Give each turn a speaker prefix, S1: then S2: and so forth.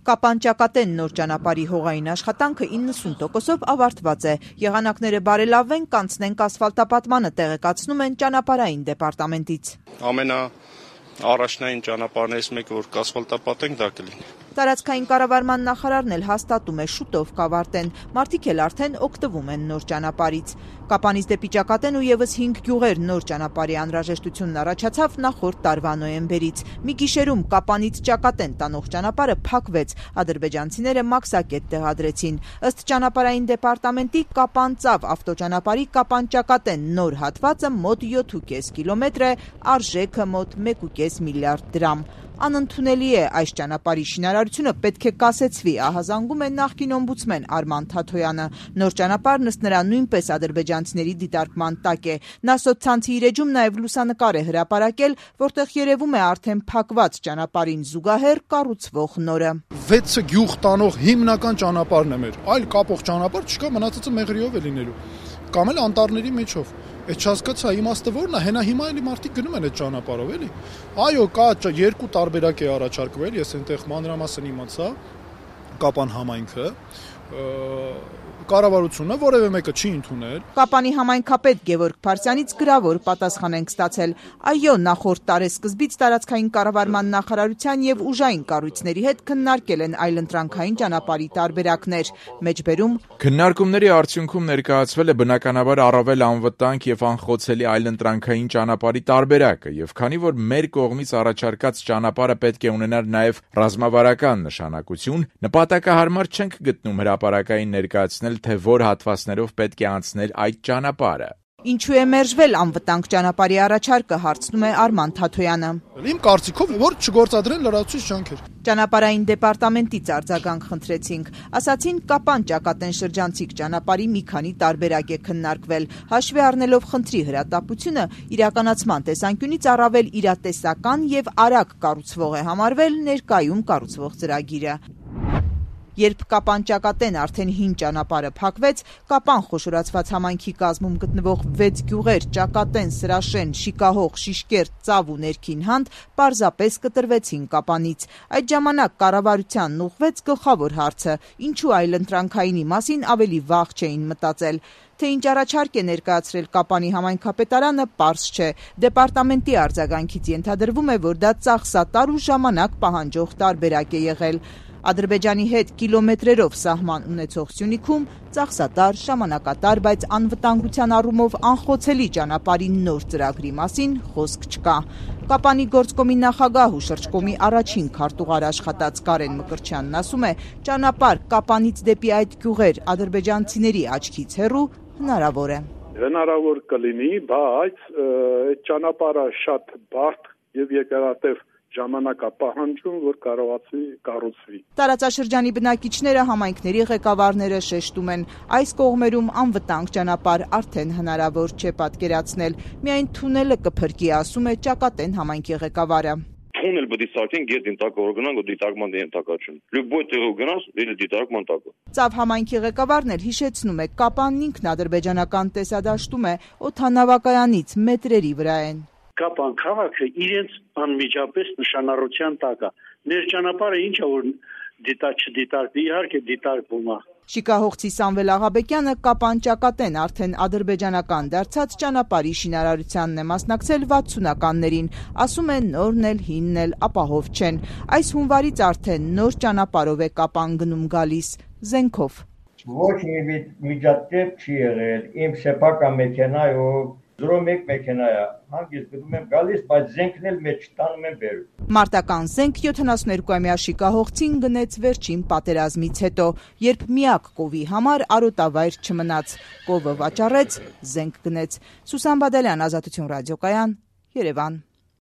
S1: Կապան-Ճակատեն նոր ճանապարհի հողային աշխատանքը 90%-ով ավարտված է։ Եղանակները բարելավվեն, կանցնենք ասֆալտապատմանը, տեղեկացնում են ճանապարհային դեպարտամենտից։
S2: Առաջնային ճանապարհներից մեկը, որ կասֆալտապատենք, դա կլինի։
S1: Տարածքային կառավարման նախարարն էլ հաստատում է, շուտով կավարտեն, մարդիկ էլ արդեն օգտվում են նոր ճանապարհից։ Կապանից դեպի Ճակատեն ու եւս 5 գյուղեր նոր ճանապարհի անհրաժեշտությունն առաջացավ նախորդ տարվա նոյեմբերից։ Մի գիշերում Կապանից Ճակատեն տանող ճանապարհը փակվեց, ադրբեջանցիները մաքսակետ տեղադրեցին։ Ըստ ճանապարհային դեպարտամենտի Կապան-Ծավ ավտոճանապարհի Կապան-Ճակատեն նոր հատվածը մոտ 7.5 կիլոմետր է, արժեքը մոտ 1.5 միլիարդ դրամ։ Անընդունելի է, այս ճանապարհի շինարարությունը պետք է կասեցվի, ահազանգում է նախկին օմբուդսմեն Արման Թաթոյանը։ Նոր ճանապարհն ըստ նրա նույնպես ադրբեջանցիների դիտարկման տակ է։ Նա սոցցանցի իր էջում նաև լուսանկար է հրապարակել, որտեղ երևում է արդեն փակված ճանապարհին զուգահեռ կառուցվող նորը։
S3: 6 գյուղ տանող հիմնական ճանապարհն է մեր, այլ կապող ճանապարհ չկա, մնացածը մեղրիով է լինելու, կամ էլ անտառների մեջով։ Այդ չհասկացա իմաստը որն է, հենա հիմա էլի մարդիկ գնում են այդ ճանապարհով, էլի։ Այո, կա երկու տարբերակ է առաջարկվել, ես այնտեղ մանրամասն իմացա, Կապան համայնքը, կառավարությունը որևէ մեկը չի ընդունել։
S1: Կապանի համայնքապետ Գևորգ Փարսյանից գրավոր պատասխան ենք ստացել։ Այո, նախորդ տարեսկզբից տարածքային կառավարման նախարարության եւ ուժային կառույցների հետ քննարկել են այլընտրանքային ճանապարհի տարբերակներ։ Մեջբերում
S4: քննարկումների արդյունքում ներկայացվել է բնականաբար առավել անվտանգ եւ անխոցելի այլընտրանքային ճանապարհի տարբերակը, եւ քանի որ մեր կողմից առաջարկած ճանապարհը պետք է ունենար նաեւ ռազմավարական նշանակություն, նպատակահարմար չենք գտնում հրապարակային ներկայացնել, թե որ հատվածներով պետք է անցնել այդ ճանապարհը։
S1: Ինչու է մերժվել անվտանգ ճանապարհի առաջարկը, հարցնում է Արման Թաթոյանը։
S3: Իմ կարծիքով, որ չգործադրեն լրացուցիչ ջանքեր։
S1: Ճանապարհային դեպարտամենտից արձագանք խնդրեցինք։ Ասացին Կապան-Ճակատեն շրջանցիկ ճանապարհի մի քանի տարբերակ է քննարկվել, հաշվի առնելով խնդրի հրատապությունը, իրականացման տեսանկյունից առավել իրատեսական եւ արագ կառուցվող է համարվել ներկայում կառուցվող ծրագիրը։ Երբ Կապան-Ճակատեն արդեն հին ճանապարհը փակվեց, Կապան խոշորացված համայնքի կազմում գտնվող 6 գյուղեր՝ Ճակատեն, Սրաշեն, Շիկահող, Շիշկերտ, Ծավ ու Ներքին Հանդ, պարզապես կտրվեցին Կապանից։ Այդ ժամանակ կառավարությանն ուղղվեց գլխավոր հարցը՝ ինչու այլընտրանքայինի մասին ավելի վաղ չէին մտածել։ Թե ինչ առաջարկ է ներկայացրել Կապանի համայնքապետարանը, պարզ չէ։ Դեպարտամենտի արձագանքից ենթադրվում է, որ դա ծախսատար ու ժամանակ պահանջող տարբերակ է եղել։ Ադրբեջանի հետ կիլոմետրերով սահման ունեցող Սյունիքում ծախսատար, ժամանակատար, բայց անվտանգության առումով անխոցելի ճանապարհի նոր ծրագրի մասին խոսք չկա։ Կապանի գործկոմի նախագահ ու շրջկոմի առաջին քարտուղար աշխատած Կարեն Մկրտչյանն ասում է, ճանապարհ Կապանից դեպի այդ գյուղեր ադրբեջանցիների աչքից հեռու հնարավոր է։
S5: Հնարավոր կլինի, բայց այդ ճանապարհը շատ բարդ եւ երկարատև ժամանակապահանջում, որ կարողացի կառուցվի։
S1: Տարածաշրջանի բնակիչները, համայնքների ղեկավարները շեշտում են, այս կողմերում անվտանգ ճանապարհ արդեն հնարավոր չէ պատկերացնել։ Միայն թունելը կփրկի, ասում է Ճակատեն համայնքի ղեկավարը։
S6: Թունել պետք է սարքեն գետ ինտակը գնանք ու դիտարկման ենթակացություն։ Լյուբոյ տեղով գնաս, դե դիտարկման տակը։
S1: Ծավ համայնքի ղեկավարն էլ հիշեցնում է, Կապանն ինքն ադրբեջանական տեսադաշտում է, օդանավակայանից մետրերի վրա են։
S7: Կապան քաղաքը իրենց անմիջապես նշանառության տակ է։ Մեր ճանապարհը ինչա որ չդիտարկվի, իհարկե դիտարկվում է։
S1: Շիկահողցի Սամվել Աղաբեկյանը Կապան-Ճակատեն արդեն ադրբեջանական դարձած ճանապարհի շինարարությանն է մասնակցել 60-ականներին, ասում է նորն էլ հինն էլ ապահով չեն։ Այս հունվարից արդեն նոր ճանապարհով է Կապան գնում գալիս, զենքով։
S8: Ոչ մի միջադեպ չի եղել, իմ սեփական մեքենայով 01 մեքենա է, հանգիստ գնում եմ գալիս, բայց զենքն էլ մեջ տանում եմ բերում։
S1: Մարտական զենք 72-ամյա Շիկահողցին գնեց վերջին պատերազմից հետո, երբ միակ կովի համար արոտավայր չմնաց։ Կովը վաճառեց, զենք գնեց։ Սուսան Բադալյան, Ազատություն ռադիոկայան, Երևան։